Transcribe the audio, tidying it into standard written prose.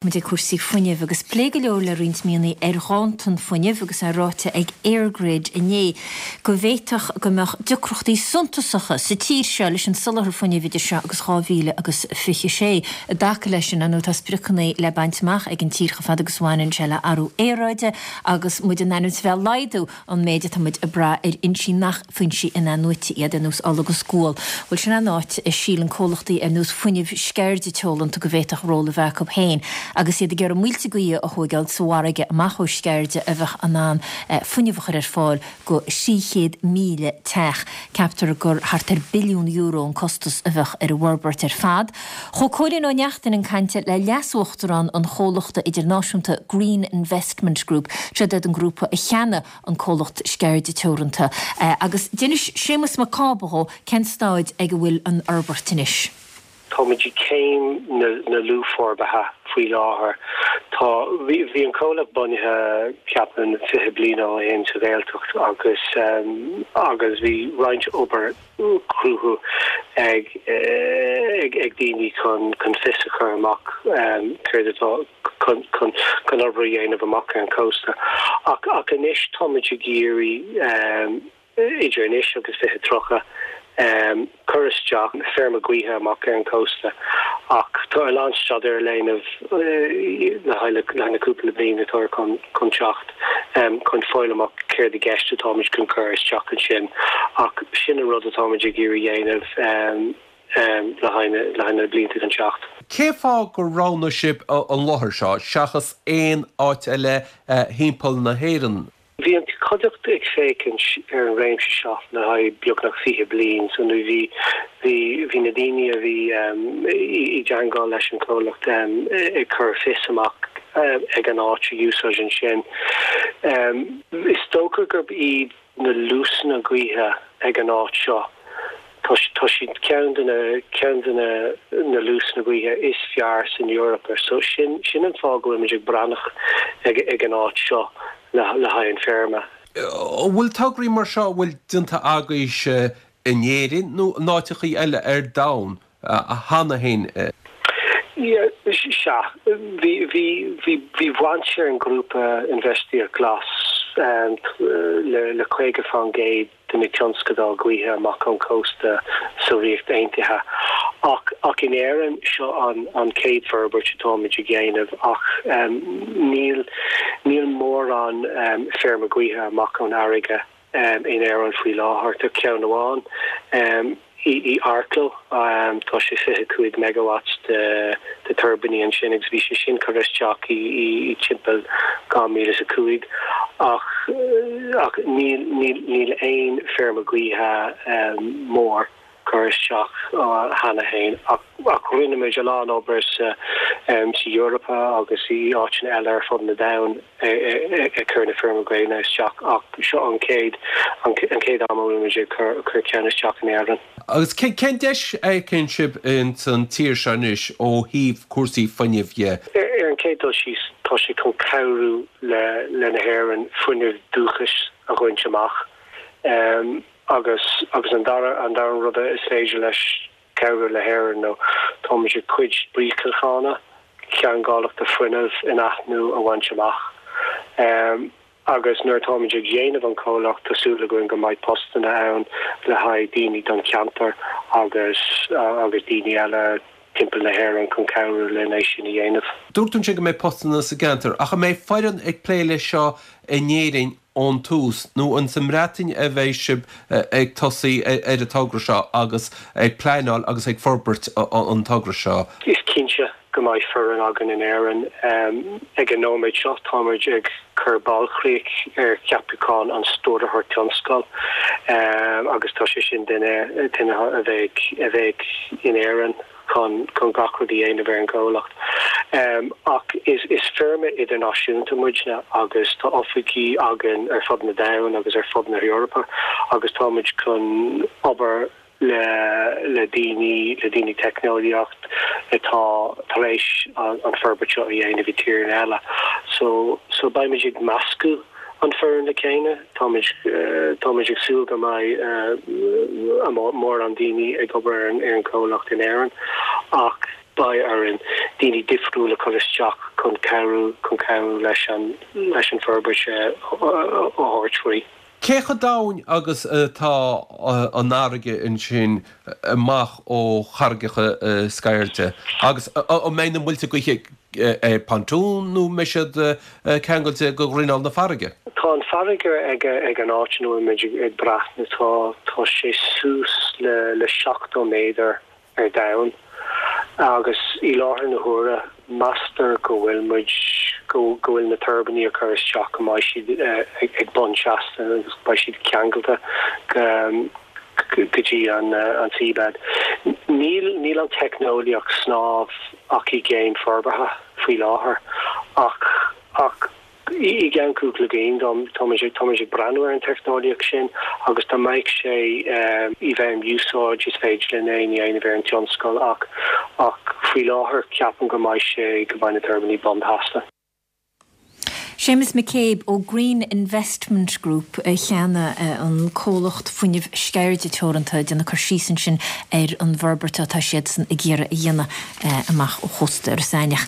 Muid ag cúrsaí fuinnimh agus pléadh go leor le roinnt míonna ar ghanntan fuinnimh agus é ráite ag EirGrid inné go bhféadfadh go mbeadh deacrachtaí suntasacha sa tír seo leis an soláthar fuinnimh idir seo agus 2026. I dtaca leis sin, ar ndóigh, tá spriocanna le baint amach ag an tír chomh fada agus a bhaineann sé le athrú aeráide agus muid in ainm is a bheith ag laghdú an méid atá muid ag brath ar fhoinsí nach foinsí in-athnuaite iad, ar nós ola agus gual. Bhuel, sin an áit a síleann comhlachtaí ar nós Fuinneamh Sceirde Teoranta go bhféadfadh ról a bheith acu féin agus iad ag iarraidh muilte gaoithe a thóigeáil sa bhfarraige amach ó Sceirde a bheadh in ann fuinneamh a chur ar fáil go 300,000 teach. Ceaptar gur thart ar billiún euro an costas a bheadh ar an bhforbairt ar fad. Chuaigh Cóilín Ó Neachtain chun cainte le leas-uachtarán an chomhlachta idirnáisiúnta Green Investment Group, siod iad an grúpa a cheannaigh an comhlacht Sceirde Teoranta, agus d'inis Séamus Mac Cába dhó cén staid ag a bhfuil an fhorbairt anois. Táimid i gcéim na luathfhorbartha faoi láthair. Tá, bhí an comhlacht bunaithe, ceapaim, 20 bliain ó shin sa Ghaeltacht agus agus bhí roinnt obair cruthú ag ag daoine chun chun fios a chur amach céard atá chun chun chun obair a dhéanamh amach ar an chósta. Ach ach anois táimid ag iarraidh idir anois agus 2030 cur isteach feirme gaoithe amach ar an chósta ach tá a lán staidéar le déanamh le haghaidh le na cúpla bliain atá chun chun teacht. chun fáil amach céard i gceist atáimid chun cur isteach ansin ach sin an rud atáimid ag iarraidh dhéanamh le haghaidh na blianta chun teacht. Cén fáth gur roghnaigh sibh an láthair seo seachas aon áit eile thimpeall na hÉireann? Bhí an chuideachta ag féachaint ar an réimse seo le haghaidh beagnach 20 bliain so nó bhí bhí bhí na daoine a bhí i dteangmháil leis an chomhlacht ag cur fios amach ag an áit a úsáid ansin. Is dócha gurb iad na luasanna gaoithe ag an áit seo, tá tá siad ceann de na ceann de na na luasanna gaoithe is fearr san Eoraip so sin sin an fáth go bhfuilimid ag breathnach ag ag an áit seo le le haghaidh an feirme. An bhfuil tograí mar seo a bhfuil déanta agaibhse in Éirinn nó in áiteachaí eile ar domhan? cheana féin. Sea, bhí, bhí, bhí, bhí baint ar an ghrúpa Infheistíocht Ghlas le, le 50% de na tionscadail gaoithe amach ón chósta sa Ríocht Aontaithe. Ach, ach in Éirinn, seo an, an chéad forbairt atáimid ag dhéanamh ach níl, níl mórán feirme gaoithe amach ón fharraige. in Éirinn faoi láthair. Tá ceann amháin i Arklow, tá sé 25 megawatts de tuirbíní ansin agus bhí sé sin curtha isteach i timpeall 2005 ach ach níl níl níl aon feirme gaoithe mór curtha isteach cheana féin ach ach rinne muid a lán obair sa sa Eoraip agus i áiteanna eile ar fud na domhain ag cur na feirme gréine isteach ach seo an chéad an chéad am a bhfuil muid ag cur cur ceann isteach in Éirinn. Agus cén deis a fheiceann sibh ins an tír seo anois ó thaobh cúrsaí fuinnimh dhe? Ar an chéad dul síos tá sé chun cabhrú le le na hÉireann fuinneamh dúchais a bhaint amach. Agus agus an dara an dara rud is féidir leis cabhrú le hÉirinn nó táimid ag cuid spriocanna ceangailteachta fuinnimh in-athnuaite a bhaint amach. Agus nuair atáimid ag déanamh an comhlacht tá súil againn go mbeidh postanna ann le haghaidh daoine don cheantar agus agus daoine eile timpeall na hÉireann chun cabhrú linn é sin a dhéanamh. Dúirt tú ansin go mbeidh postanna sa gceantar, ach an mbeidh foireann ag plé leis seo in Éirinn ón tús, nó an sa mBreatain a bheidh sibh ag tosaí ar an togra seo agus ag pleanáil agus ag forbairt an togra seo? Is cinnte go mbeidh foireann againn in Éirinn. Ag an nóiméad seo táimid ag cur bailchríoch ar cheapachán an Stiúrthóir Tionscail agus tá sé sin duine duine a bheidh a bheidh in Éirinn. chun chun gach rud a dhéanamh ar an gcomhlacht. Ach is is feirme idirnáisiúnta muidne agus tá oifigí againn ar fud na domhain agus ar fud na hEorpa agus táimid chun obair le le daoine le daoine teicneolaíocht atá tar éis an an forbairt seo a dhéanamh i tíreanna eile. So so beimid ag meascadh an foireann le chéile. Táimid táimid ag súil go mbeidh mórán daoine ag obair ar an ar an chomhlacht in Éirinn ach beidh orainn daoine difriúla a chur isteach. chun cabhrú chun cabhrú leis an leis an forbairt a thabhairt faoi. Cé chomh domhain agus atá an fharraige ansin amach ó charraigeacha Sceirde? Agus an mbeidh na muilte gaoithe ar pontoon nó an mbeidh siad ceangailte go ghrinneall na farraige? Tá an farraige ag ag an áit ina bhfuil muid ag breathnú, tá tá sé suas le le 70 méadar ar domhan agus i láthair na huaire meastar go bhfuil muid, go bhfuil na tuirbíní a chur isteach go mbeidh siad ag bun seasta agus beidh siad ceangailte go go dtí an seabed. Níl níl an teicneolaíocht snámh ach i gcéim forbartha faoi láthair ach ach I gceann cúpla bliain, táimid ag breathnú ar an teicneolaíocht sin agus dá mbeadh sé i bhfeidhm úsáid is féidir linn é a dhéanamh ar an tionscal ach ach faoi láthair ceapaim go mbeidh sé go mbeidh na tuirbíní bunseasta. Séamus McCabe ó Green Investment Group cheana, an comhlacht fuinnimh Sceirde Teoranta, ag déanamh cur síos ansin ar an bhforbairt atá siadsan ag iarraidh a dhéanamh amach ó chósta Iorras Aithneach.